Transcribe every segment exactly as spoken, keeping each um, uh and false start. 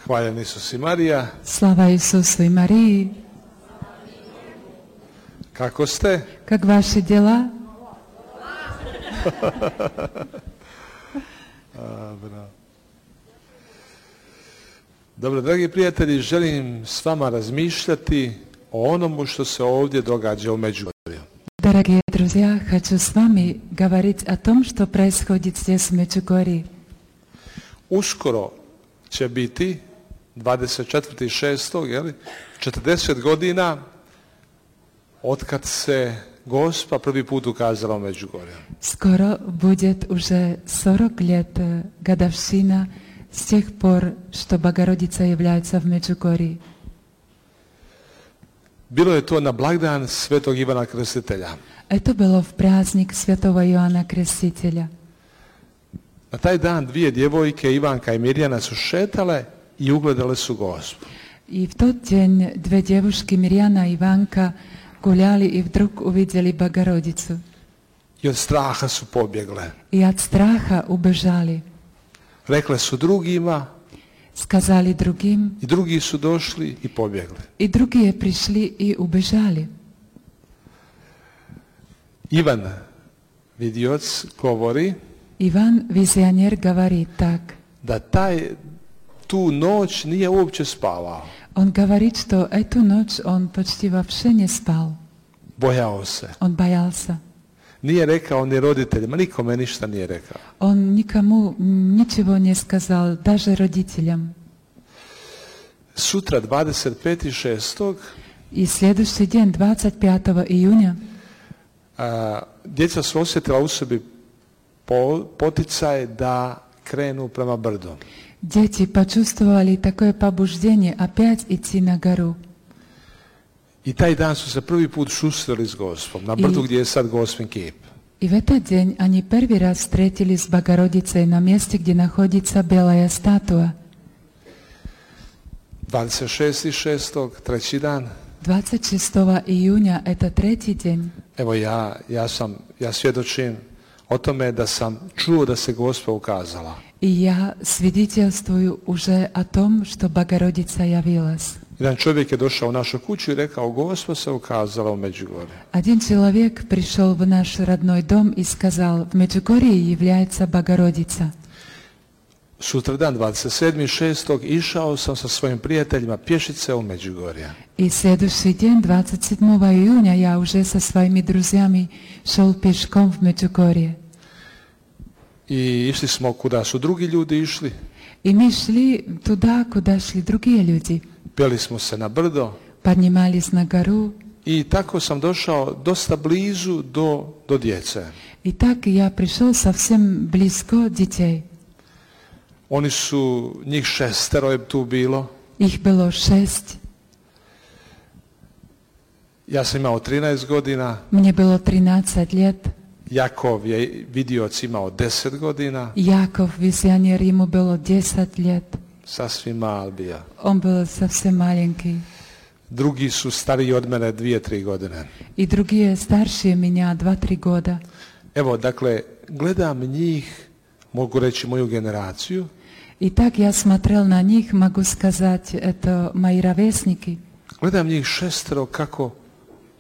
Hvaljen Isus i Marija. Slava Isusu i Mariji. Kako ste? Как ваши дела? Dobro. Dobro, dragi prijatelji, želim s vama razmišljati o onomu što se ovdje događa u Međugorju. Дорогие друзья, хочу с вами говорить о том, что происходит здесь в Меджугорье. Uskoro će biti dvadeset četvrtog šestog, je li, četrdeset godina otkad se Gospa prvi put ukazala u Međugorju. Скоро будет уже сорок лет годовщина с тех пор, что Богородица является в Меджугорье. Bilo je to na blagdan Svetog Ivana Krstitelja. Это было в праздник Святого Иоанна Крестителя. Na taj dan dvije djevojke, Ivanka i Mirjana, su šetale i ugledale su Gospu. И в тот день две девушки, Мирьяна и Иванка, гуляли и вдруг увидели Богородицу. I od straha su pobjegle. И от страха убежали. Rekle su drugima, Сказали другим, i drugi su došli i pobjegli. и другие пришли и убежали. Ivan vidioc govori Иван Визионер говорит так. da taj, tu noć nije uopće spavao. Он говорит, что эту ночь он почти вообще не спал. Bojao se. Он боялся. Nije rekao ni roditeljima, nikome ništa nije rekao. Он никому ничего не сказал, даже родителям. Sutra dvadeset petog šestog И следующий день, двадцать пятого июня, a, djeca su osjetila u sebi po, poticaj da krenu prema brdu. дети почувствовали такое побуждение опять идти на гору. I taj dan su se prvi put susreli s Gospom, na brdu gdje je sad Gospin kip. И в этот день они первый раз встретились с Богородицей на месте, где находится белая статуя. dvadeset šestog šestog, treći dan. двадцать шестого июня, это третий день. Evo ja, ja sam, ja svjedočim o tome da sam čuo da se Gospa ukazala. И я свидетельствую уже о том, что Богородица явилась. Jedan čovjek je došao u našu kuću i rekao, Gospa se ukazala u Međugorju. Один человек пришел в наш родной дом и сказал, в Меджугорье является Богородица. Sutradan dvadeset sedmog šestog išao sam sa svojim prijateljima pješice u Međugorje. И следующий день, двадцать седьмого июня, я уже со своими друзьями шел пешком в Меджугорье. I išli smo kuda su drugi ljudi išli. И мы шли туда, куда шли другие люди. Peli smo se na brdo. Поднимались на гору. I tako sam došao dosta blizu do, do djece. И так я пришел совсем близко детей. Oni su, njih šestero je tu bilo. Их было шесть. Ja sam imao trinaest godina. Мне было тринадцать лет. Jakov je vidioc imao deset godina. Яков, визионер, ему было десять лет. Sasvim mal bio. Он был совсем маленький. Drugi su stariji od mene dvije, tri godine. И другие старше меня, два-три года. Evo, dakle, gledam njih, mogu reći moju generaciju. И так я смотрел на них, могу сказать, это мои ровесники. Gledam njih šestero kako,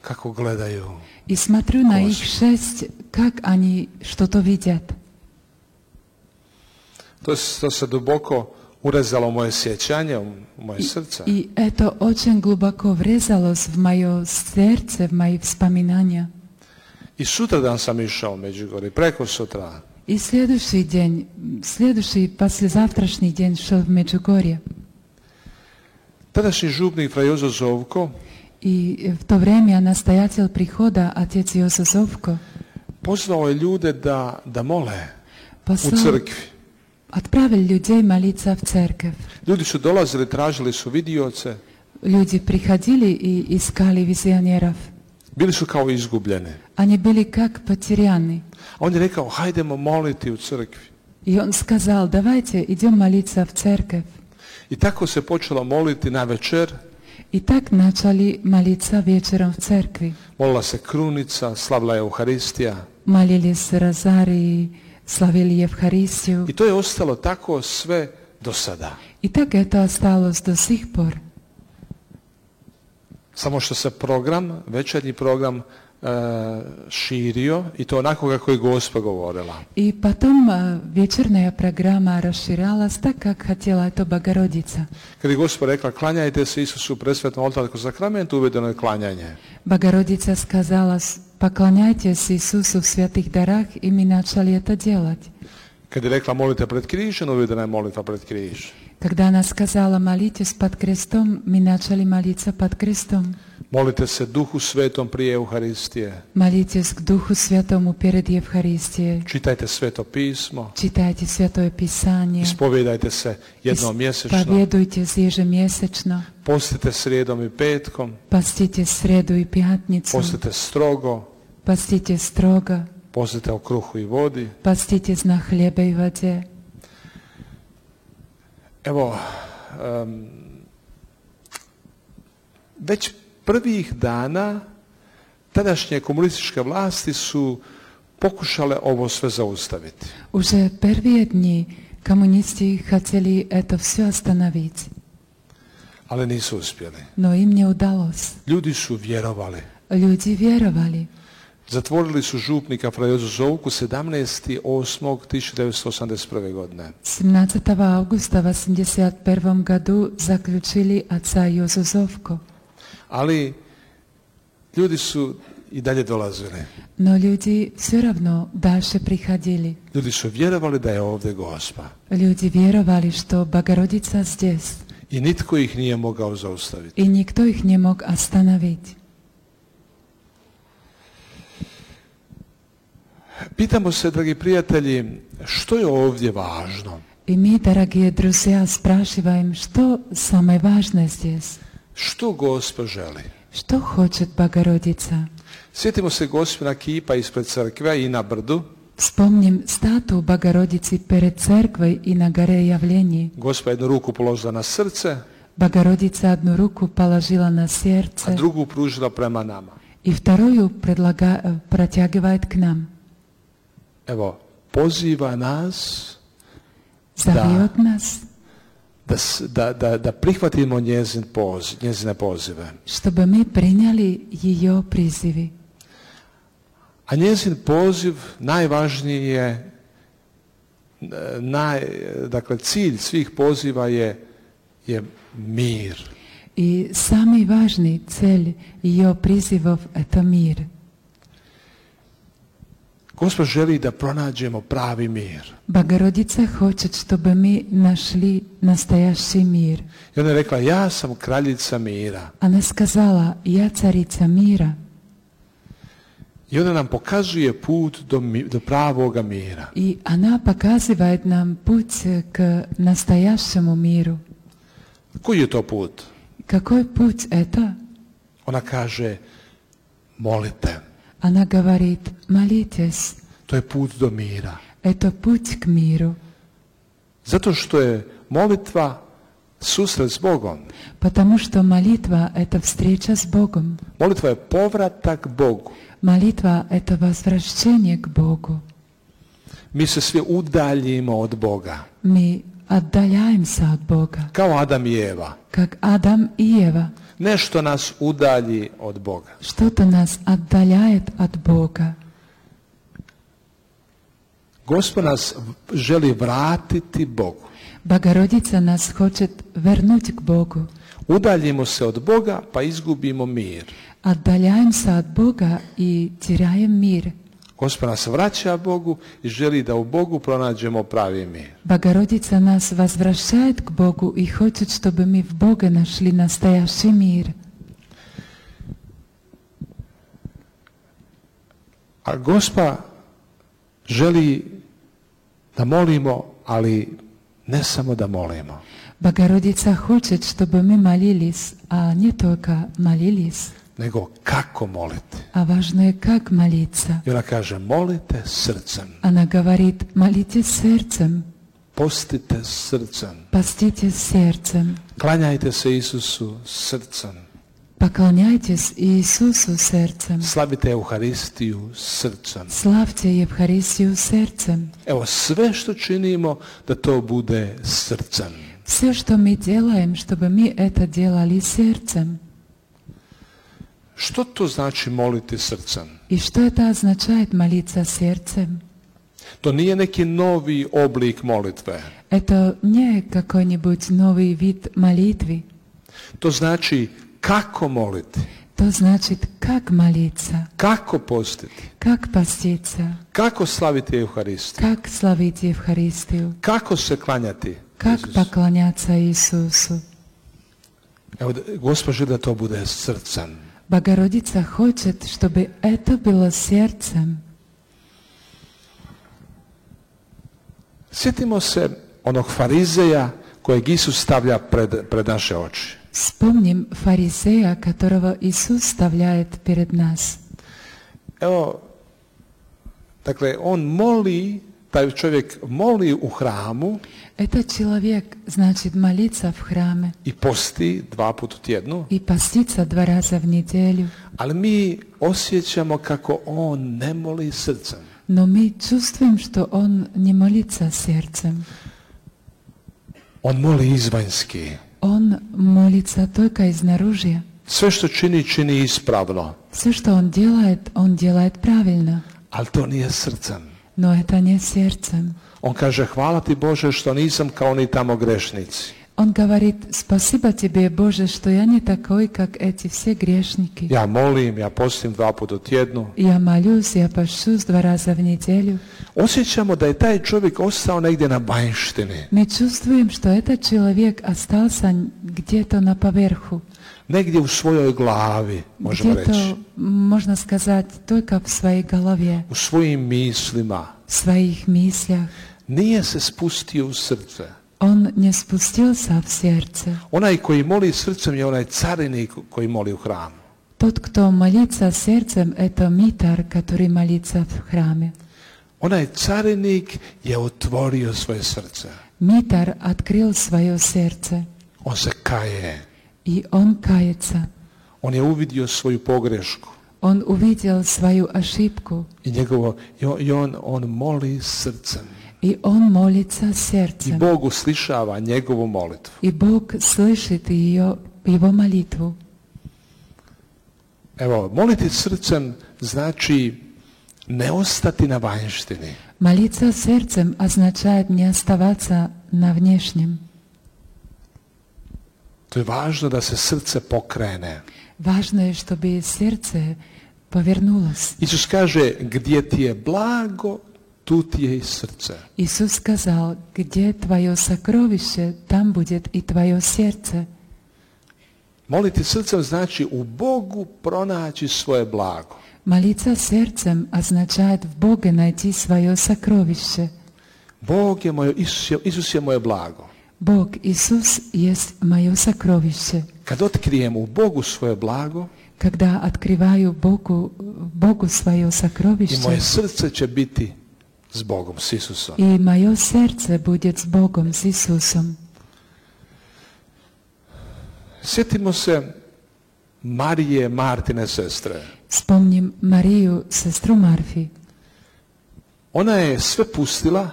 kako gledaju. И смотрю на их шесть, как они что-то видят. To, to se duboko urezalo moje sjećanje, u moje srce. И это очень глубоко врезалось в мое сердце, в мои воспоминания. I sutradan sam išao u Međugorje, preko sutra. И следующий день, следующий, послезавтрашний день шел в Меджугорье. Tadašnji župnik fra Jozo Zovko И в то время настоятель прихода, отец Йоза Зовко, pozvao je ljude da, da mole u послал, crkvi. отправил людей молиться в церковь. Ljudi su dolazili, tražili su vidioce. Люди приходили и искали визионеров. Bili su kao izgubljeni. Они были как потеряны. A on je rekao, hajdemo moliti u crkvi. И он сказал, давайте идем молиться в церковь. I tako se počelo moliti na večer. И так начали молиться вечером в церкви. Molila se krunica, slavila je Euharistija. Молились розарии, славили Евхаристию. I to je ostalo tako sve do sada. I tak je to ostalost do sih por. Samo što se program, večernji program e, širio i to onako kako je Gospa govorila. I potom večernja programa raširalась tak, kak htjela je to Bogorodica. Kad je Gospa rekla klanjajte se Isusu presvetom oltarskom sakramentu, uvedeno je klanjanje. Bogorodica skazala poklonjajte se Isusu v svetih darah i mi načali to делать. Kad je rekla molite pred križem, uvedena je molitva pred križ. Когда она сказала молитесь под крестом, мы начали молиться под крестом. Molite se Duhu Svetom prije Euharistije. Молитесь к Духу Святому перед Евхаристией. Čitajte Sveto pismo. Читайте Святое Писание. Ispovijedajte se jednom mjesečno. Исповедуйтесь ежемесячно. Postite srijedom i petkom. Постите среду и пятницу. Postite strogo. Постите строго. Postite o kruhu i vodi. Поститесь на хлебе и воде. Evo, um, već prvih dana tadašnje komunističke vlasti su pokušale ovo sve zaustaviti. Уже первые дни коммунисты хотели это все остановить. Ali nisu uspjeli. Но им не удалось. Ljudi su vjerovali. Люди веровали. Zatvorili su župnika fra Jozu Zovku sedamnaestog osmog tisuća devetsto osamdeset prve. godine. семнадцатого августа в восемьдесят первом году заключили отца Йозу Зовку. Ali ljudi su i dalje dolazili. Но люди все равно дальше приходили. Ljudi su vjerovali da je ovdje Gospa. Люди веровали, что Богородица здесь. I nitko ih nije mogao zaustaviti. И никто их не мог остановить. Pitamo se, dragi prijatelji, što je ovdje važno? И мы, дорогие друзья, спрашиваем, что самое важное здесь? Što Gospa želi? Что хочет Богородица? Sjetimo se Gospina kipa ispred crkve i na brdu. Вспомним статую Богородицы перед церквой и на горе Явлений. Gospa jednu ruku položila na srce, Богородица одну руку положила на a сердце drugu pružila prema nama. и вторую предлага... протягивает к нам. Evo, poziva nas Зовет нас, da, s- da, da, da prihvatimo njezin poziv, njezine pozive. чтобы мы приняли ее призывы. A njezin poziv najvažniji je, e, naj, dakle cilj svih poziva je, je mir. И самый важный цель ее призывов – это мир. Gospa želi da pronađemo pravi mir. Богородица хочет, чтобы мы нашли настоящий мир. I ona je rekla, ja sam kraljica mira. Она сказала, я царица мира. I ona nam pokazuje put do, mi- do pravoga mira. И она показывает нам путь к настоящему миру. Koji je to put? Какой путь это? Ona kaže, molite. Она говорит, молитесь. To je put do mira. Это путь к миру. Zato što je molitva susret s Bogom. Потому что молитва – это встреча с Богом. Molitva je povratak Bogu. Молитва – это возвращение к Богу. Mi se svi udaljimo od Boga. Мы отдаляемся от Бога, Kao Adam i Eva. как Адам и Ева. Nešto nas udalji od Boga. Что-то нас отдаляет от Бога. Gospod nas želi vratiti Bogu. Богородица нас хочет вернуть к Богу. Udaljimo se od Boga pa izgubimo mir. Отдаляемся от Бога и теряем мир. Gospod nas vraća Bogu i želi da u Bogu pronađemo pravi mir. Богородица нас возвращает к Богу и хочет, чтобы мы в Боге нашли настоящий мир. A Gospa želi da molimo, ali ne samo da molimo. Богородица хочет, чтобы мы молились, а не только молились, Nego kako moliti. а важно, как молиться. I ona kaže, molite srcem. Она говорит, молитесь сердцем, Postite srcem. поститесь сердцем, Klanjajte se Isusu srcem. Поклоняйтесь Иисусу сердцем. Slavite Euharistiju srcem. Slavte Евхаристию сердцем. Evo, sve što činimo da to bude srcem. Все, что мы делаем, чтобы мы это делали сердцем. Što to znači moliti srcem? И что это означает молиться сердцем? To nije neki novi oblik molitve. Это не какой-нибудь новый вид молитвы. To znači kako moliti, То значит, как молиться, kako postiti, как поститься, kako slaviti Euharistiju, как славить Евхаристию, kako se klanjati как Isusu. поклоняться Иисусу. Evo, Gospod želi da to bude srcem. Богородица хочет, чтобы это было сердцем. Sjetimo se onog farizeja kojeg Isus stavlja pred, pred naše oči. Вспомним фарисея, которого Иисус ставляет перед нас. Evo, dakle, on moli, taj čovjek moli u hramu Этот человек, значит, молится в храме i posti dva puta u tjednu, и постится два раза в неделю. ali mi osjećamo kako on ne moli srcem. Но мы чувствуем, что он не молится сердцем. On moli izvanjski. Он молится только изнаружи. Sve što čini, čini ispravno, Все, что он делает, он делает правильно. ali to nije srcem. Но это не сердцем. On kaže, hvala ti Bože što nisam kao oni tamo grešnici. Он говорит, спасибо тебе, Боже, что я не такой, как эти все грешники. Ja molim, ja postim dva puta u tjednu. Я молюсь, я пощусь два раза в неделю. Osjećamo da je taj čovjek ostao negdje na vanjštini. Мы чувствуем, что этот человек остался где-то на поверху. Negdje u svojoj glavi, možemo reći. Где-то, можно сказать, только в своей голове, U svojim mislima. в своих мыслях. Nije se spustio u srce. Он не спустился в сердце. Onaj koji moli srcem je onaj carinik koji moli u hramu. Тот, кто молится сердцем, это митар, который молится в храме. Onaj carinik je otvorio svoje srce. Митар открыл свое сердце, On se kaje. и он кается. On je uvidio svoju pogrešku. Он увидел свою ошибку, I njegovo, i on, i on, on moli srcem. и он молится I сердцем. Bog uslišava njegovu molitvu. И Бог слышит ее, его молитву. Evo, moliti srcem znači ne ostati na vanjštini. Молиться сердцем означает не оставаться на внешнем. To je važno da se srce pokrene. Важно, чтобы сердце повернулось. Isus kaže, gdje ti je blago, tu ti je i srce. Иисус сказал, где твое сокровище, там будет и твое сердце. Moliti srcem znači u Bogu pronaći svoje blago. Молиться сердцем означает в Боге найти свое сокровище. Bog je moje, Isus je, Isus je moje blago. Бог, Иисус, есть мое сокровище. Kad otkrijem u Bogu svoje blago, Когда открываю Богу, Богу свое i moje сокровище, srce će biti s Bogom, s Isusom. и мое сердце будет с Богом, с Иисусом. Sjetimo se Marije, Martine sestre. Вспомним Марию, сестру Марфи. Ona je sve pustila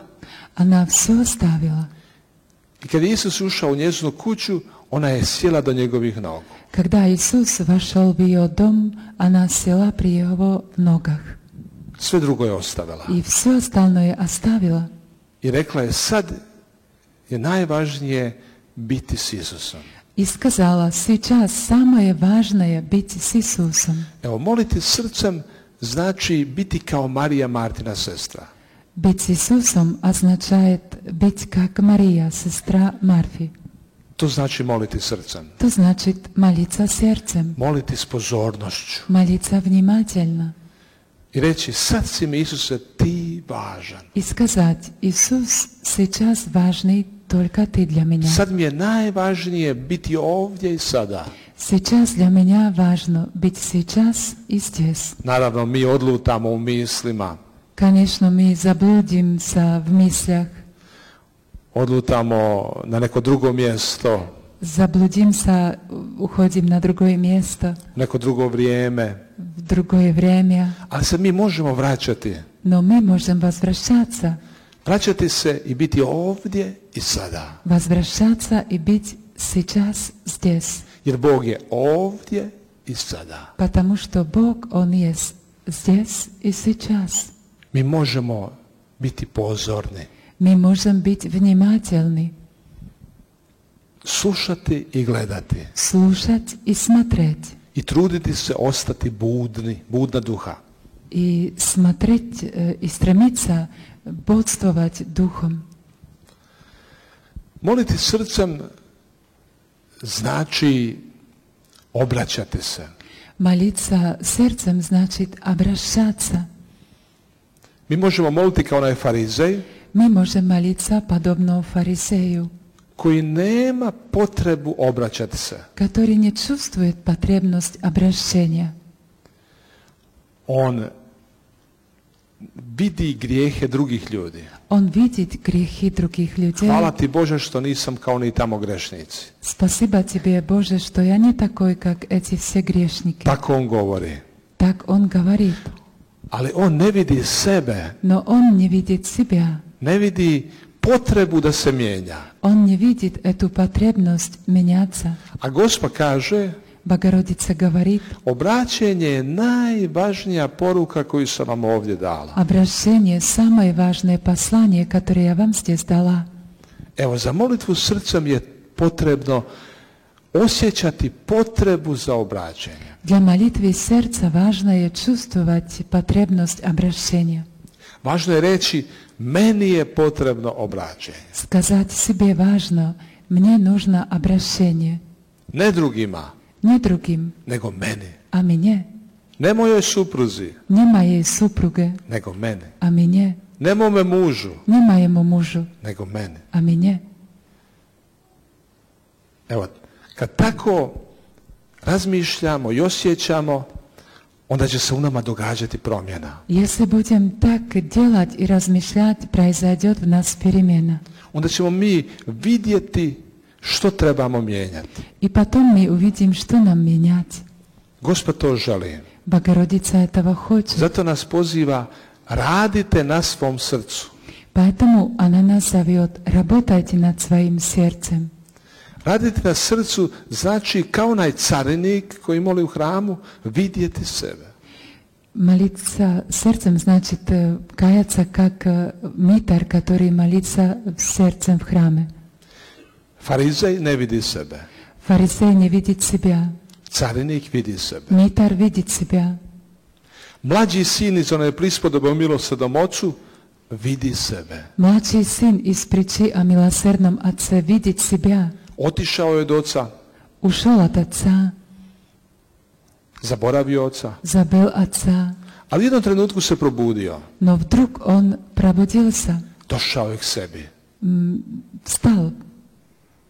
Она все оставила. i kad je Isus ušao u njezinu kuću, ona je sjela do njegovih nogu. Когда Иисус вошел в ее дом, она села при его ногах. Sve drugo je ostavila. И все остальное оставила. I rekla je, sad je najvažnije biti s Isusom. И сказала, сейчас самое важное быть с Иисусом. Evo, moliti srcem znači biti kao Marija, Martina sestra. Быть с Иисусом означает быть как Мария, сестра Марфи. To znači moliti srcem. To значит молиться сердцем, Moliti s pozornošću. молиться внимательно. I reći, sad si mi Isuse ti važan. И сказать, Иисус, сейчас важный только Ты для меня. Sad mi je najvažnije biti ovdje i sada. Сейчас для меня важно быть сейчас и здесь. Naravno, mi odlutamo u mislima. Конечно, мы заблудимся в мыслях, Odlutamo na neko drugo mjesto. Zabludím sa, uchodím na другое место, neko drugo vrijeme. в другое время. Ali se mi možemo vraćati. Но мы можем возвращаться. Vraćati se i biti ovdje i sada. Возвращаться и быть сейчас здесь. Jer Bog je ovdje i sada. Потому что Бог, Он есть здесь и сейчас. Mi možemo biti pozorni. Мы можем быть внимательны, Slušati i gledati. слушать и смотреть. I truditi se ostati budni, budna duha. И смотреть, э, и стремиться бодствовать духом. Moliti srcem znači obraćati se. Молиться сердцем значит обращаться. Mi možemo moliti kao onaj farizej Мы можем молиться подобно фарисею, koji nema potrebu obraćati se. который не чувствует потребность обращения. On vidi grijehe drugih ljudi. Он видит грехи других людей. Hvala ti Bože što nisam kao ni tamo grešnici. Спасибо тебе, Боже, что я не такой, как эти все грешники. Tako on govori. Так он говорит. Ali on ne vidi sebe, Но он не видит себя. ne vidi potrebu da se mijenja. Он не видит эту потребность меняться. A Gospod kaže, Богородица говорит, obraćenje je najvažnija poruka koju sam vam ovdje dala. обращение – самое важное послание, которое я вам здесь дала. Evo, za molitvu srcem je potrebno osjećati potrebu za obraćanje. Для молитвы сердца важно je чувствовать потребность обращения. Važno je reći, meni je potrebno obraćanje. Сказать себе важно, мне нужно обращение. Ne drugima, Не другим, nego meni. а мне. Ne mojoj supruzi, Не моей супруге, nego meni. а мне. Ne mome mužu, Не моему мужу, nego meni. а мне. Evo, kad tako razmišljamo i osjećamo, onda će se u nama događati promjena. Если будем так делать и размышлять, произойдет в нас перемена. Onda ćemo mi vidjeti što trebamo mijenjati. И потом мы увидим, что нам менять. Gospod to želi. Богородица этого хочет. Zato nas poziva, radite na svom srcu. Поэтому она нас зовет, работайте над своим сердцем. Raditi na srcu znači kao onaj carinik koji moli u hramu, vidjeti sebe. Молиться сердцем значит э, каяться как э, митар, который молится сердцем в храме. Farizej ne vidi sebe. Фарисей не видит себя. Carinik vidi sebe. Митар видит себя. Mlađi sin iz one prispodobe o milosrdnom ocu vidi sebe. Младший сын из притчи о милосердном отце видит себя. Otišao je od oca, Ушел от отца, zaboravio oca, забыл отца. ali u jednom trenutku se probudio. Но вдруг он пробудился, Došao je k sebi. м, встал.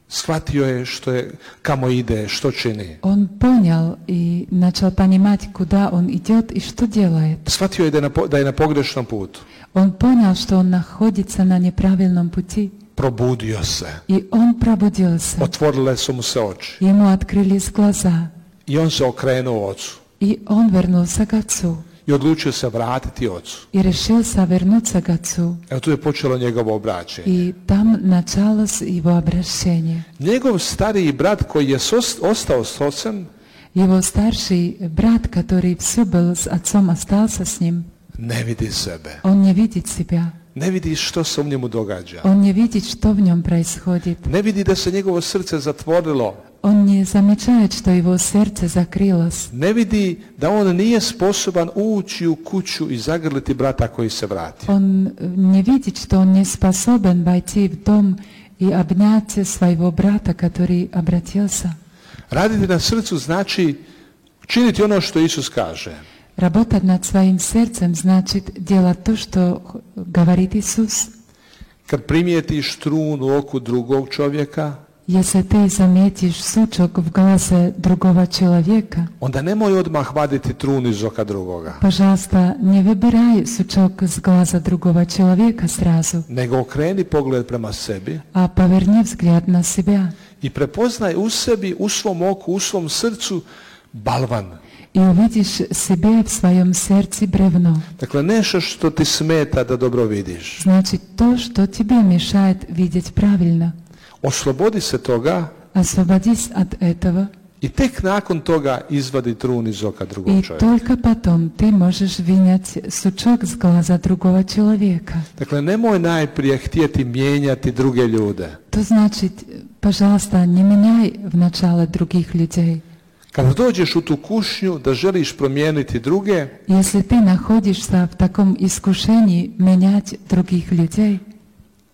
Shvatio je što je, kamo ide, što čini. Он понял и начал понимать, куда он идет и что делает. Shvatio je da je na, po- da je na pogrešnom putu. Он понял, что он находится на неправильном пути. Probudio se. И он пробудился. Otvorile su mu se oči. Ему открылись глаза. I on se okrenuo ocu. И он вернулся к отцу. I odlučio se vratiti ocu. И решился вернуться к отцу. Evo tu je počelo njegovo obraćenje. И там началось его обращение. Njegov stariji brat koji je sos- ostao s ocem Его старший брат, который все был с отцом, остался с ним. ne vidi sebe. Он не видит себя. Ne vidi što se u njemu događa. Он не видит, что в нем происходит. Ne vidi da se njegovo srce zatvorilo. Он не замечает, что его сердце закрылось. Ne vidi da on nije sposoban ući u kuću i zagrliti brata koji se vrati. Он не видит, что он не способен войти в дом и обнять своего брата, который обратился. Raditi na srcu znači činiti ono što Isus kaže. Работать над своим сердцем значит делать то, что говорит Иисус. Kad primijetiš trun u oku drugog čovjeka, Если ты заметишь сучок в глазе другого человека, onda nemoj odmah vaditi trun iz oka drugoga. пожалуйста, не выбирай сучок с глаза другого человека сразу, Nego okreni pogled prema sebi а поверни взгляд на себя i prepoznaj u sebi, u svom oku, u svom srcu balvan. и увидишь себе в своем сердце бревно. Dakle, nešto što ti smeta da dobro vidiš. Значит, то, что тебе мешает видеть правильно. Oslobodi se toga Освободись от этого, i tek nakon toga izvadi trun iz oka drugog и čovjeka. только потом ты можешь вынять сучок с глаза другого человека. Dakle, nemoj najprije htjeti mijenjati druge ljude. То значит, пожалуйста, не меняй в начало других людей. Kada dođeš u tu kušnju da želiš promijeniti druge, Если ты находишься в таком искушении менять других людей,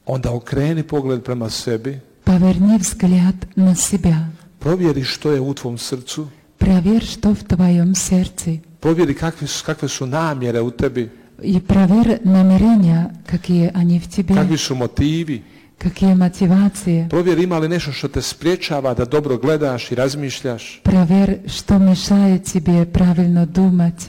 onda okreni pogled prema sebi, поверни взгляд на себя. provjeri što je u tvom srcu, Проверь, что в твоем сердце. provjeri kakve su, kakve su namjere u tebi, И проверь намерения, какие они в тебе, kakvi su motivi, какие мотивации. provjeri ima li nešto što te spriječava da dobro gledaš i razmišljaš. Проверь, что мешает тебе правильно думать.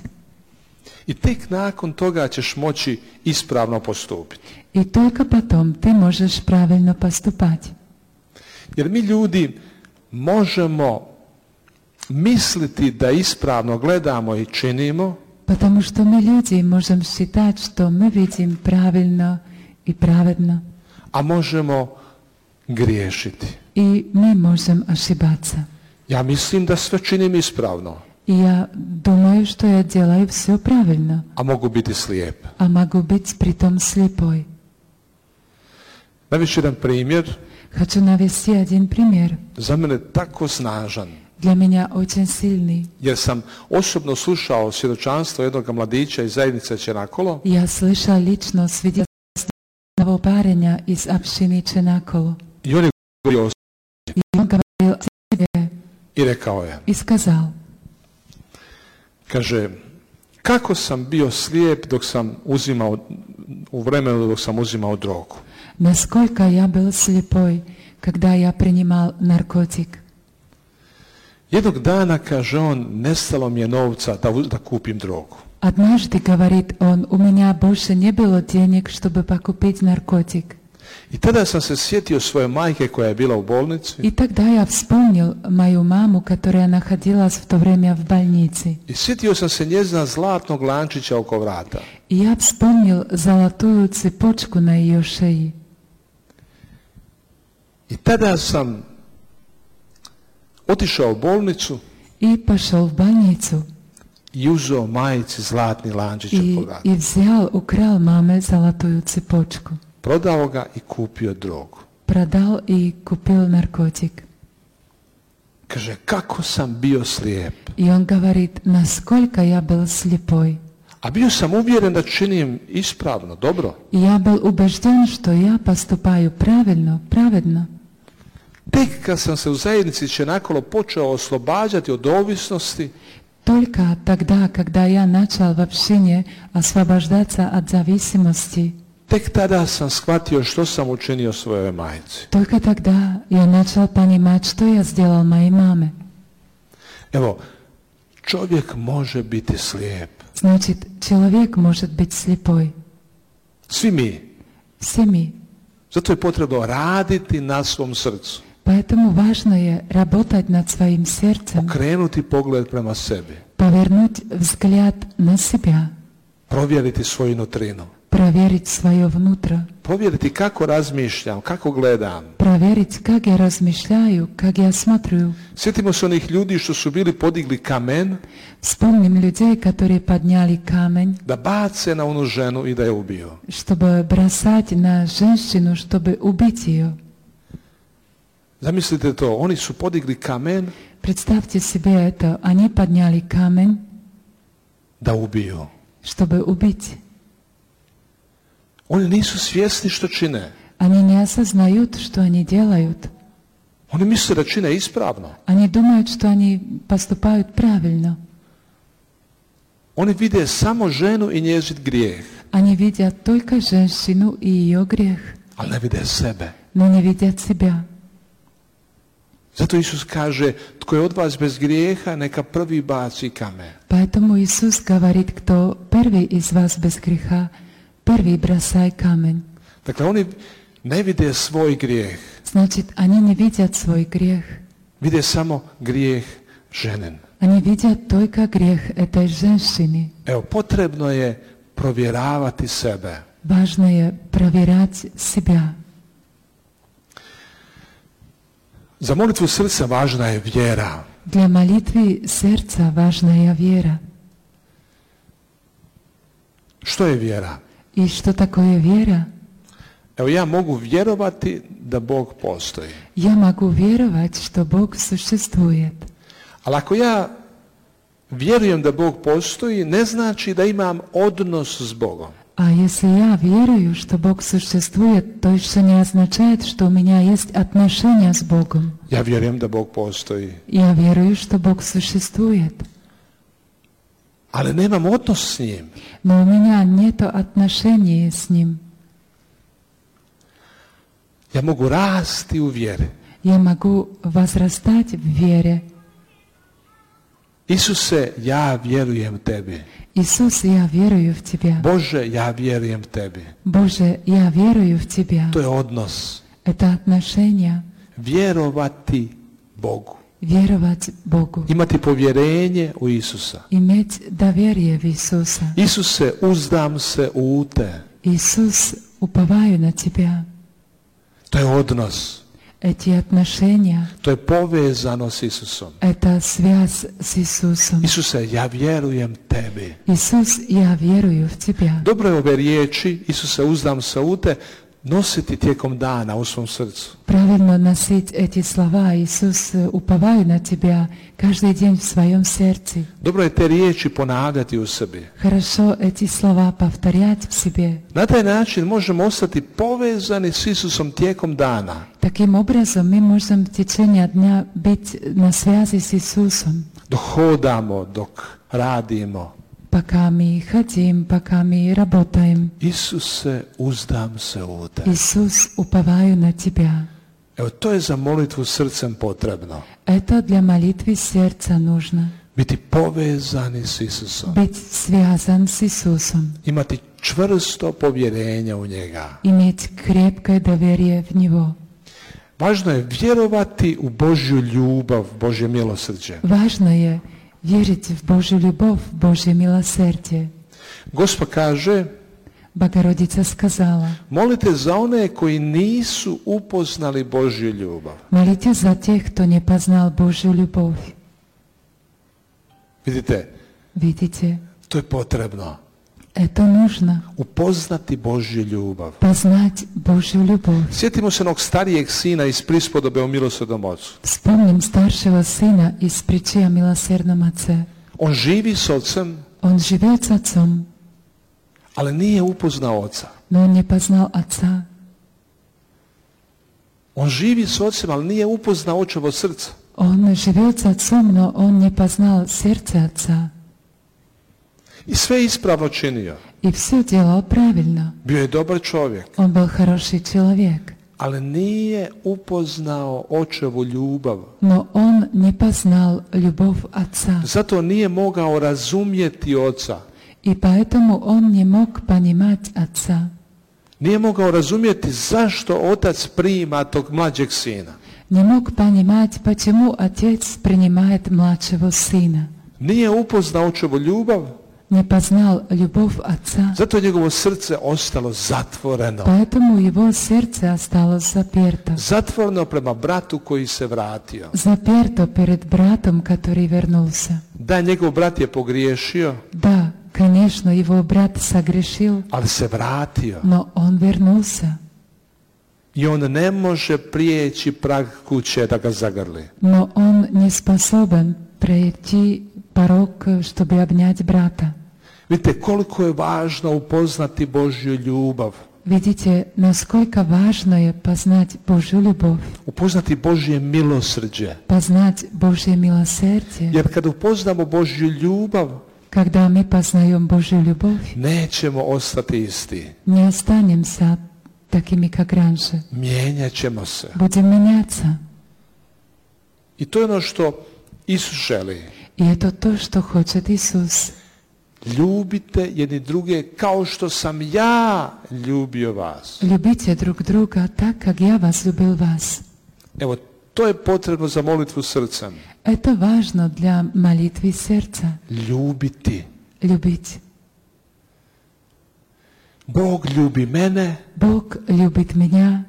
I tek nakon toga ćeš moći ispravno postupiti. И только потом ты можешь правильно поступать. Jer mi ljudi možemo misliti da ispravno gledamo i činimo, Потому что мы люди можем считать, что мы видим правильно и праведно. a možemo griješiti. И мы можем ошибаться. Ja mislim da sve činim ispravno, И я думаю, что я делаю все правильно, a mogu biti slijep. а могу быть притом слепой. Navest ću jedan primjer, Хочу навести один пример. za mene tako snažan, Для меня очень сильный. jer sam osobno slušao svjedočanstvo jednog mladića iz zajednice Čenakolo Я слышал лично свидетельство одного парня из общины Ченаколо. i on je govorio o И он говорил о себе i rekao je, и сказал, kaže, kako sam bio slijep dok sam uzimao, u vremenu dok sam uzimao drogu. насколько я был слепой, когда я принимал наркотик. Jednog dana, kaže on, nestalo mi je novca da, da kupim drogu. Однажды, говорит он, у меня больше не было денег, чтобы покупить наркотик. I tada sam se sjetio svoje majke koja je bila u bolnici И тогда я вспомнил мою маму, которая находилась в то время в больнице. i sjetio sam se njezina zlatnog lančića oko vrata. И я вспомнил золотую цепочку на ее шее. I tada sam otišao u bolnicu И пошел в больницу. i uzeo majici zlatni lančić И, oko vrata. и взял, украл маме золотую цепочку. Prodao ga i kupio drogu. Продал и купил наркотик. Kaže, kako sam bio slijep. И он говорит, насколько я был слепой. A bio sam uvjeren da činim ispravno, dobro. И я был убежден, что я поступаю правильно, праведно. Tek kad sam se u zajednici Čenakolo počeo oslobađati od ovisnosti, Только тогда, когда я начал в общине освобождаться от зависимости, tek tada sam shvatio što sam učinio svojoj majici. только тогда я начал понимать, что я сделал моей маме. Evo, čovjek može biti slijep. Значит, человек может быть слепой. Svi mi. Все мы. Zato je potrebno raditi na svom srcu. Поэтому важно je работать над своим сердцем, Okrenuti pogled prema sebi. повернуть взгляд на себя, Provjeriti svoju nutrinu. проверить свое внутро, Provjeriti kako razmišljam, kako gledam. проверить, как я размышляю, как я смотрю. Sjetimo se onih ljudi što su bili podigli kamen Вспомним людей, которые подняли камень, da bace na onu ženu i da je ubiju. чтобы бросать на женщину, чтобы убить ее. Zamislite to, oni su podigli kamen Представьте себе это, они подняли камень, da ubiju. чтобы убить. Oni nisu svjesni što čine. Они не осознают, что они делают. Oni misle da čine ispravno. Они думают, что они поступают правильно. Oni vide samo ženu i njezin grijeh, Они видят только женщину и ее грех, ali ne vide sebe. но не видят себя. Zato Isus kaže, tko je od vas bez grijeha, neka prvi baci kamen. Поэтому Иисус говорит, кто первый из вас без греха, первый бросай камень. Dakle, oni ne vide svoj grijeh. Значит, они не видят свой грех. Vide samo grijeh ženen. Они видят только грех этой женщины. Evo, potrebno je provjeravati sebe. Важно je проверять себя. Za molitvu srca važna je vjera. Для молитвы сердца важная вера. Što je vjera? И что такое вера? Evo, ja mogu vjerovati da Bog postoji. Я могу веровать, что Бог существует. Ali ako ja vjerujem da Bog postoji, ne znači da imam odnos s Bogom. А если я верую, что Бог существует, то еще не означает, что у меня есть отношения с Богом. Ja vjerujem da Bog postoji. Я верую, что Бог существует. Ali nemam odnos s njim. Но у меня нет отношений с Ним. Ja mogu rasti u vjeri. Я могу возрастать в вере. Isuse, ja vjerujem tebi. Иисус, я верую в Тебя. Bože, ja vjerujem tebi. Боже, я верую в Тебя. To je odnos. Это отношения. Vjerovati Bogu. Веровать Богу. Imati povjerenje u Isusa. Иметь доверие в Иисуса. Isuse, uzdam se u te. Иисус, уповаю на Тебя. To je odnos. Эти отношения, To je povezano s Isusom. это связь с Иисусом. Isuse, ja vjerujem tebi. Иисус, я верую в Тебя. Dobro je ove riječi, Isuse, uzdam se u te, nositi tijekom dana u svom srcu. Правильно носить эти слова. Иисус, уповаю на Тебя каждый день в своем сердце. Dobro je te riječi ponavljati u sebi. Хорошо эти слова повторять в себе. Na taj način možemo ostati povezani s Isusom tijekom dana. Таким образом мы можем в течение дня быть на связи с Иисусом. Dok hodamo, dok radimo. Пока мы ходим, пока мы работаем. Isuse, uzdam se u te. Иисус, уповаю на Тебя. Evo, to je za molitvu srcem potrebno. Это для молитвы сердца нужно. Biti povezani s Isusom. Быть связан с Иисусом. Imati čvrsto povjerenje u njega. Иметь крепкое доверие в Него. Važno je vjerovati u Božju ljubav, Božje milosrđe. Важно je верить в Божью любовь, в Божье милосердие. Gospod kaže, Богородица сказала: molite za one koji nisu upoznali Božju ljubav. молите за тех, кто не познал Божью любовь. Vidite, Видите, to je potrebno. это нужно. Upoznati Božju ljubav. Познать Божью любовь. Sjetimo se onog starijeg sina iz prispodobe o milosrdnom ocu. Вспомним старшего сына из притчи о милосердном отце. On živi s ocem, Он живет с отцом, ali nije upoznao oca. но он не познал отца. On živi s ocem, ali nije upoznao očevo srce. Он живет с отцом, но он не познал сердце отца. I sve ispravno činio. И все делал правильно. Bio je dobar čovjek, Он был хороший человек, ali nije upoznao očevu ljubav. но он не познал любовь отца. Zato nije mogao razumjeti oca. И поэтому он не мог понимать отца. Nije mogao razumjeti zašto otac prima tog mlađeg sina. Не мог понимать, почему отец принимает младшего сына. Nije upoznao očevu ljubav, Не познал любовь отца. zato je njegovo srce ostalo zatvoreno. Поэтому его сердце осталось заперто. Zatvoreno prema bratu koji se vratio. Заперто перед братом, который вернулся. Da, njegov brat je pogriješio, Да, конечно, его брат согрешил, ali se vratio. но он вернулся. I on ne može prijeći prag kuće da ga zagrli. Но он не способен пройти порог, чтобы обнять брата. Vidite koliko je važno upoznati Božju ljubav. Видите, насколько важно je познать Божью любовь, Upoznati Božje milosrđe. познать Божье милосердие. Jer kad upoznamo Božju ljubav, Когда мы познаем Божью любовь, nećemo ostati isti. не останемся такими, как раньше. Mijenjat ćemo se. Будем меняться. I to je ono što Isus želi. И это то, что хочет Иисус. Ljubite jedni druge kao što sam ja ljubio vas. Любите друг друга так, как я возлюбил вас. Evo, to je potrebno za molitvu srcem. Это важно для молитвы сердца. Ljubiti. Любить. Bog ljubi mene Бог любит меня,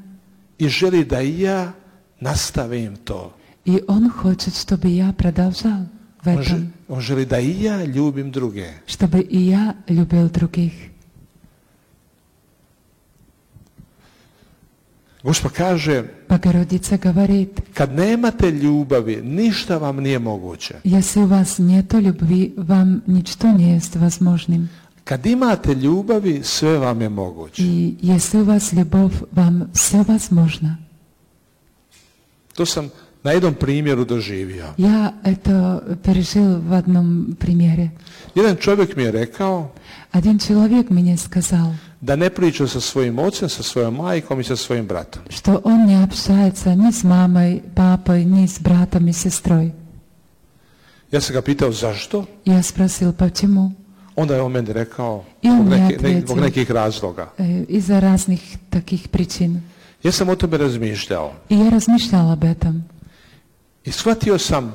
i želi da i ja nastavim to. и Он хочет, чтобы я продолжал в On, že- этом, on želi da i ja ljubim druge. чтобы и я любил других. Gospod kaže, Богородица говорит, kad nemate ljubavi, ništa vam nije moguće. если у вас нет любви, вам ничто не есть возможным. Kad imate ljubavi, sve vam je moguće. И если у вас любовь, вам все возможно. To sam na jednom primjeru doživio. Я это пережил в одном примере. Jedan čovjek mi je rekao Один человек мне сказал, da ne priča sa svojim ocem, sa svojom majkom i sa svojim bratom. что он не общается ни с мамой, папой, ни с братом и сестрой. Ja sam ga pitao zašto, Я спросил, почему? onda je on meni rekao I on zbog, mi je neke- ne- ответил. zbog nekih razloga. Э, Из-за разных таких причин. Ja sam o tome razmišljao И я размышлял об этом. i shvatio sam,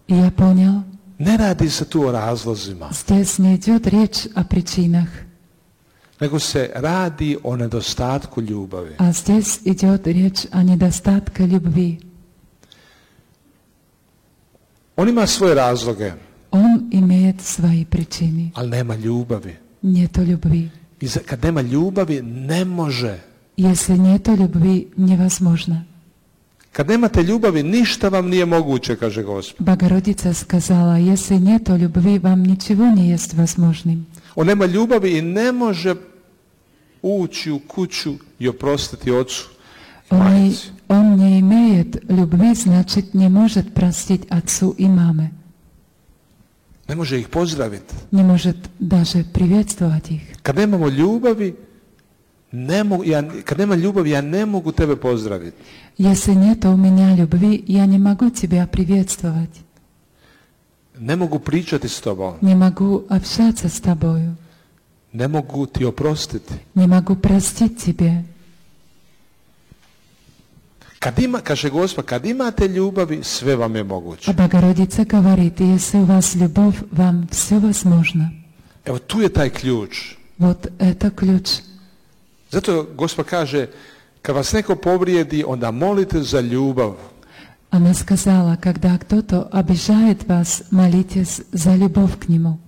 И я понял, ne radi se tu o razlozima, здесь не идет речь о причинах, nego se radi o nedostatku ljubavi. а здесь идет речь о недостатке любви. On ima svoje razloge, Он имеет свои причины. ali nema ljubavi. Нету любви. I za- kad nema ljubavi, ne može. Если нету любви, невозможно. Kad nemate ljubavi, ništa vam nije moguće, kaže Gospod. Богородица сказала, если нету любви, вам ничего не есть возможным. On nema ljubavi i ne može ući u kuću i oprostiti ocu i Он не, majci. он не имеет любви, значит, не может простить отцу и маме. Ne može ih pozdraviti. Не может даже приветствовать их. Kad nemamo ljubavi, ne mogu, ja, kad nema ljubavi, ja ne mogu tebe pozdraviti. Если нет у меня любви, я не могу тебя приветствовать. Ne mogu pričati s tobom. Не могу общаться с тобою. Ne mogu ti oprostiti. Не могу простить тебе. Kad ima, kaže Gospod, kad imate ljubavi, sve vam je moguće. А Богородица говорит, если у вас любовь, вам все возможно. Evo, tu je taj ključ. Вот это ключ. Zato Gospod kaže, kad vas neko povrijedi, onda molite za ljubav. Она сказала, когда кто-то обижает вас, молитесь за любовь к нему.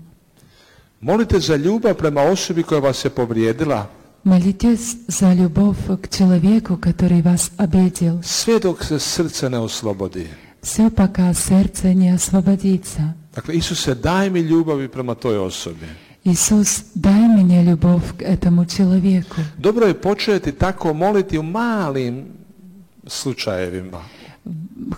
Molite za ljubav prema osobi koja vas je povrijedila, Молитесь за любовь к человеку, который вас обидел. sve dok se srce ne oslobodi. Все, пока сердце не освободится. Dakle, Isuse, daj mi ljubavi prema toj osobi. Иисус, дай мне любовь к этому человеку. Dobro je početi tako moliti u malim slučajevima.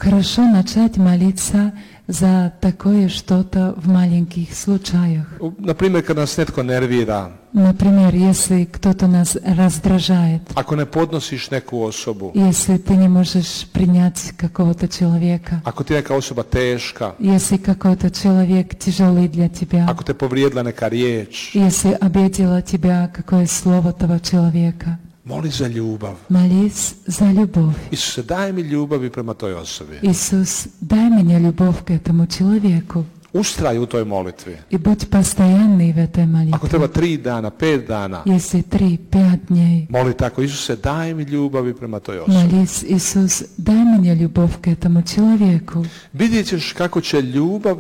Хорошо начать молиться за такое что-то в маленьких случаях. U- Na primjer, kad nas netko nervira, Например, если кто-то нас раздражает, ako ne podnosiš neku osobu, если ты не можешь принять какого-то человека, ako ti je neka osoba teška, если какой-то человек тяжелый для тебя, ako te povrijedila neka riječ, если обидело тебя какое слово того человека, moli za ljubav. молись за любовь. Isuse, daj mi ljubavi prema toj osobi. Иисус, дай мне любовь к этому человеку. Ustraj u toj molitvi. И будь постоянный в этой Ako treba молитве. tri dana, pet dana, Если три, пять дней, moli tako, Isuse, daj mi ljubavi prema toj osobi. молись, Иисус, дай мне любовь к этому человеку. Vidjet ćeš kako će ljubav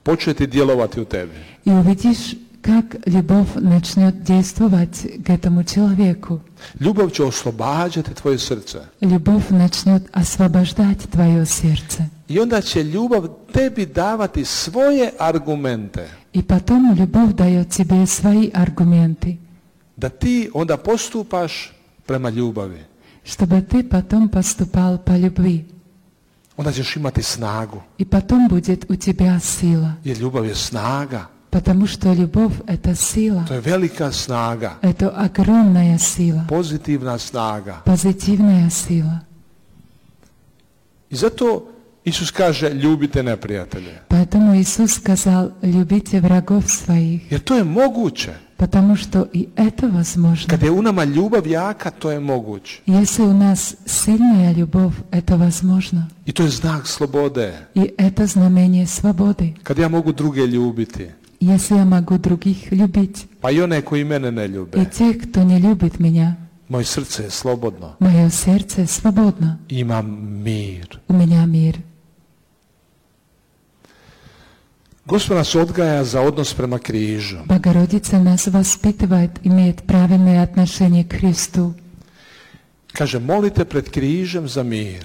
početi djelovati u tebi. И увидишь, как любовь начнет действовать к этому человеку. Ljubav će oslobađati tvoje srce. Любовь начнет освобождать твое сердце. I onda će ljubav tebi davati svoje argumente. И потом любовь дает тебе свои аргументы, Da ti onda postupaš prema ljubavi. чтобы ты потом поступал по любви. Onda ćeš imati snagu. И потом будет у тебя сила. Jer ljubav je snaga. Потому что любовь – это сила. To je velika snaga. Это огромная сила. Pozitivna snaga. Позитивная сила. I zato Isus kaže ljubite neprijatelje. Поэтому Иисус сказал: любите врагов своих, Jer to je moguće. потому что и это возможно. Kad je u nama ljubav jaka, to je moguće. Если у нас сильная любовь, это возможно. I to je znak slobode. И это знамение свободы. Kad ja mogu druge ljubiti. Если я могу других любить, Pa i one koji mene ne ljube. и тех, кто не любит меня, Moje srce je slobodno. мое сердце свободно. Imam mir. У меня мир. Gospod nas odgaja za odnos prema križu. Богородица нас воспитывает, имеет правильное отношение к Христу. Kaže, molite pred križem za mir.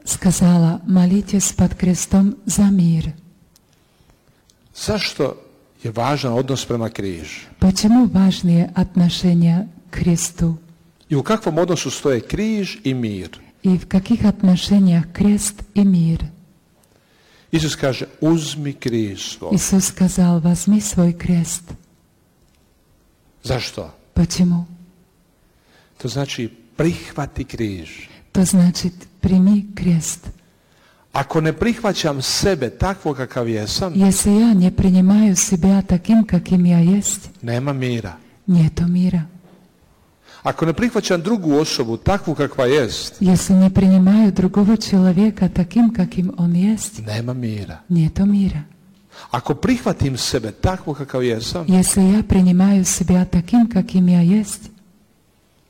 Сказала: молитесь под крестом за мир. Zašto je važan odnos prema križu? Почему важные отношения к Христу? I u kakvom odnosu stoje križ i mir? И в каких отношениях крест и мир? Isus kaže, uzmi križ svoj. Иисус сказал: возьми свой крест. Zašto? Почему? To znači prihvati križ. То значит, прими крест. Ako ne prihvaćam sebe takvo kakav jesam, Если я не принимаю себя таким, каким я есть, nema mira. нету мира. Ako ne prihvaćam drugu osobu takvu kakva jest, Если не принимаю другого человека таким, каким он есть, nema mira. нету мира. Ako prihvatim sebe takvo kakav jesam, Если я принимаю себя таким, каким я есть,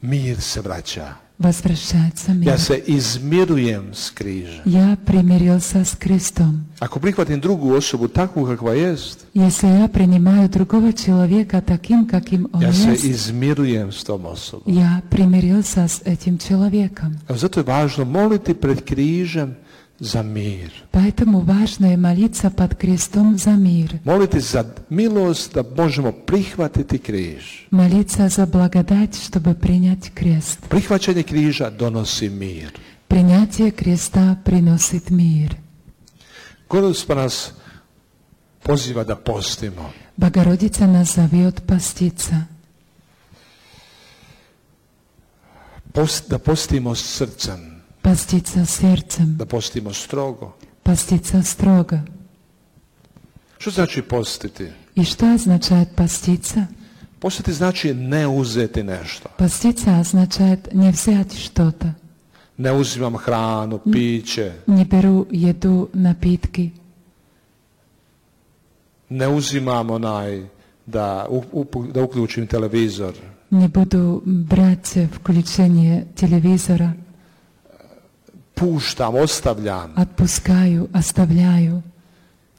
mir se vraća. возвращается мир. Ja se izmirujem s križa. Я примирился с Христом. Ako prihvatim drugu osobu takvu kakva jest, Если я принимаю другого человека таким, каким он ja se есть, izmirujem s tom osobom. я примирился с этим человеком. Evo, zato je važno moliti pred križem za mir. Поэтому важно и молиться под крестом за мир. Moliti za milost da možemo prihvatiti križ. Молиться за благодать, чтобы принять крест. Prihvaćanje križa donosi mir. Принятие креста приносит мир. Gospod nas poziva da postimo. Богородица нас зовет поститься. Post, da postimo s srcem. Поститься сердцем. Da postimo strogo. Поститься строго. Što znači postiti? И что означает поститься? Postiti znači ne uzeti nešto. Поститься означает не взять что-то. Ne uzimam hranu, piće. Не беру еду, напитки. Ne uzimam onaj da, up, da uključim televizor. Не буду брать включение телевизора. Puštam, ostavljam. Отпускаю, оставляю.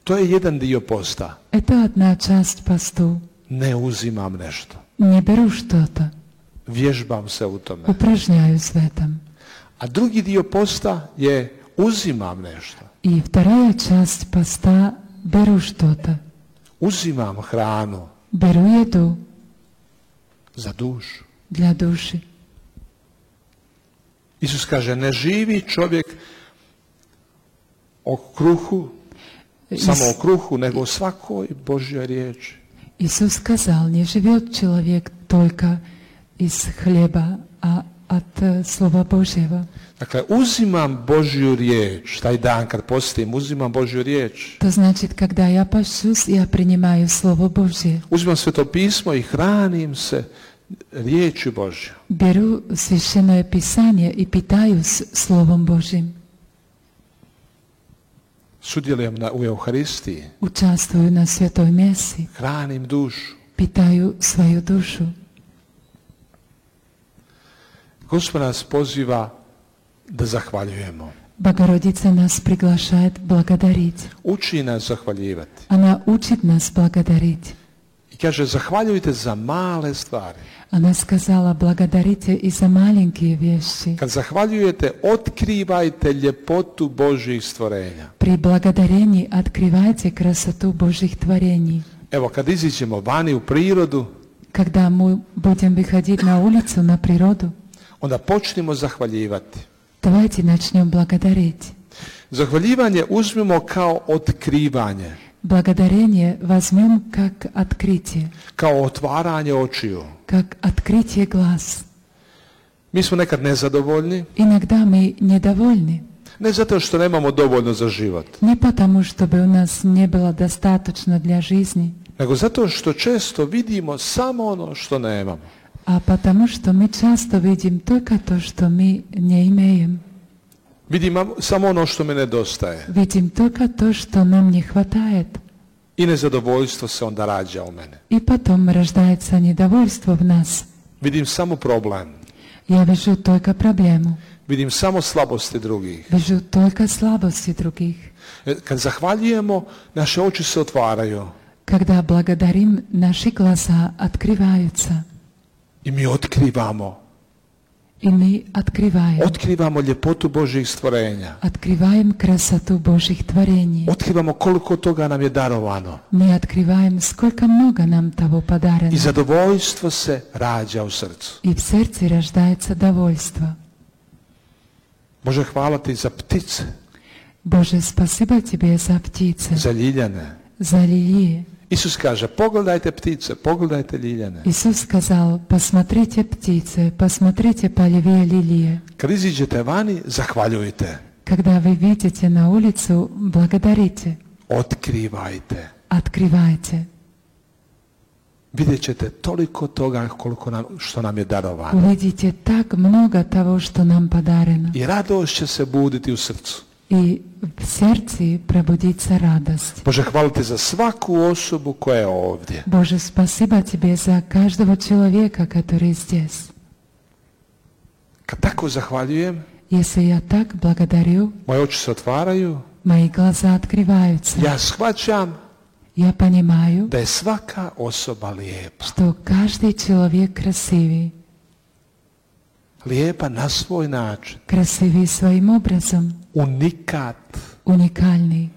To je jedan dio posta. Это одна часть посту. Ne uzimam nešto. Не беру что-то. Vježbam se u tome. Упражняюсь в этом. A drugi dio posta je uzimam nešto. И вторая часть поста – беру что-то. Uzimam hranu Беру еду za dušu. для души. Isus kaže, ne živi čovjek o kruhu, samo o kruhu, nego o svakoj Božjoj riječi. Иисус сказал: не живет человек только из хлеба, а от Слова Божьего. Dakle, uzimam Božju riječ, taj dan kad postim, uzimam Božju riječ. To значит, когда я пощусь, я принимаю Слово Божье. Uzimam Sveto pismo i hranim se riječju Božju. Беру Священное Писание и питаюсь Словом Божьим. Sudjelujem na, u Euharistiji. Участвую на Святой Месси. Hranim dušu. Питаю свою душу. Gospod nas poziva da zahvaljujemo. Богородица нас приглашает благодарить. Uči nas zahvaljivati. Она учит нас благодарить. I kaže, zahvaljujte za male stvari. Она сказала: благодарите и за маленькие вещи. Kad zahvaljujete, otkrivajte ljepotu Božjih stvorenja. При благодарении открывайте красоту Божьих творений. Evo, kad iziđemo vani u prirodu, Когда мы будем выходить на улицу, на природу, onda počnimo zahvaljivati. давайте начнем благодарить. Zahvaljivanje uzmimo kao otkrivanje, Благодарение возьмем как открытие, kao otvaranje očiju. как открытие глаз. Mi smo nekad nezadovoljni, Иногда мы недовольны, Ne zato što nemamo dovoljno za život, Не потому, чтобы у нас не было достаточно для жизни, nego zato što često vidimo samo ono što nemamo. а потому, что мы часто видим только то, что мы не имеем. Vidim samo ono što mi nedostaje. Видим только то, что нам не хватает. I nezadovoljstvo se onda rađa u mene. И потом рождается недовольство в нас. Vidim samo problem. Я вижу только проблему. Vidim samo slabosti drugih. Вижу только слабости других. Kad zahvaljujemo, naše oči se otvaraju. Когда благодарим, наши глаза открываются. I mi otkrivamo. И мы открываем. Otkrivamo ljepotu Božjih stvorenja. Открываем красоту Божьих творений. Otkrivamo koliko toga nam je darovano. Мы открываем, сколько много нам того подарено. I zadovoljstvo se rađa u srcu. И в сердце рождается довольство. Bože, hvala ti za ptice, Боже, спасибо Тебе за птицы, za ljiljane. за лилии. Isus kaže, pogledajte ptice, pogledajte ljiljane. Иисус сказал, посмотрите птицы, посмотрите полевые лилии. Kad iziđete vani, zahvaljujte. Когда вы видите на улицу, благодарите, Otkrivajte. открывайте. Vidjet ćete toliko toga koliko nam, što nam je darovano. Увидите так много того, что нам подарено. I radost će se buditi u srcu. И в сердце пробудится радость. Bože, hvala ti za svaku osobu koja je ovdje. Боже, спасибо Тебе за каждого человека, который здесь. Kad tako zahvaljujem, Если я так благодарю, moje oči se otvaraju, мои глаза открываются. ja shvaćam Я понимаю, da je svaka osoba lijepa. что каждый человек красивый. Lijepa na svoj način. Красивый своим образом. Unikat. Уникальный.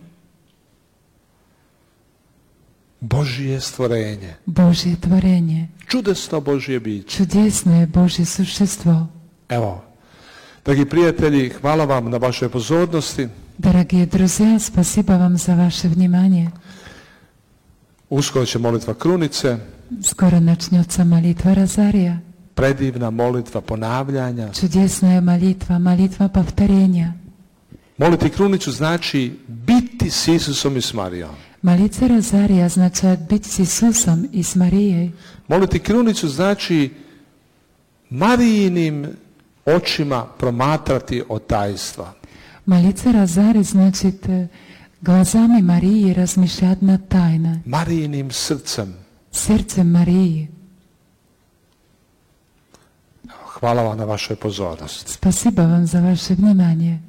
Božje stvorenje. Божье творение. Čudesno Božje biće. Чудесное Божье существо. Evo, dragi prijatelji, hvala vam na vašoj pozornosti. Дорогие друзья, спасибо вам за ваше внимание. Uskoro će molitva krunice. Скоро начнется молитва Розария. Predivna molitva ponavljanja. Чудесная молитва, молитва повторения. Moliti krunicu znači biti s Isusom i s Marijom. Молиться Розария означает быть с Иисусом и с Марией. Moliti krunicu znači Marijinim očima promatrati od tajstva. Молиться Розарий значит глазами Марии размышлять над тайной. Marijinim srcem. Сердцем Марии. Hvala vam na vašoj pozornosti. Спасибо вам за ваше внимание.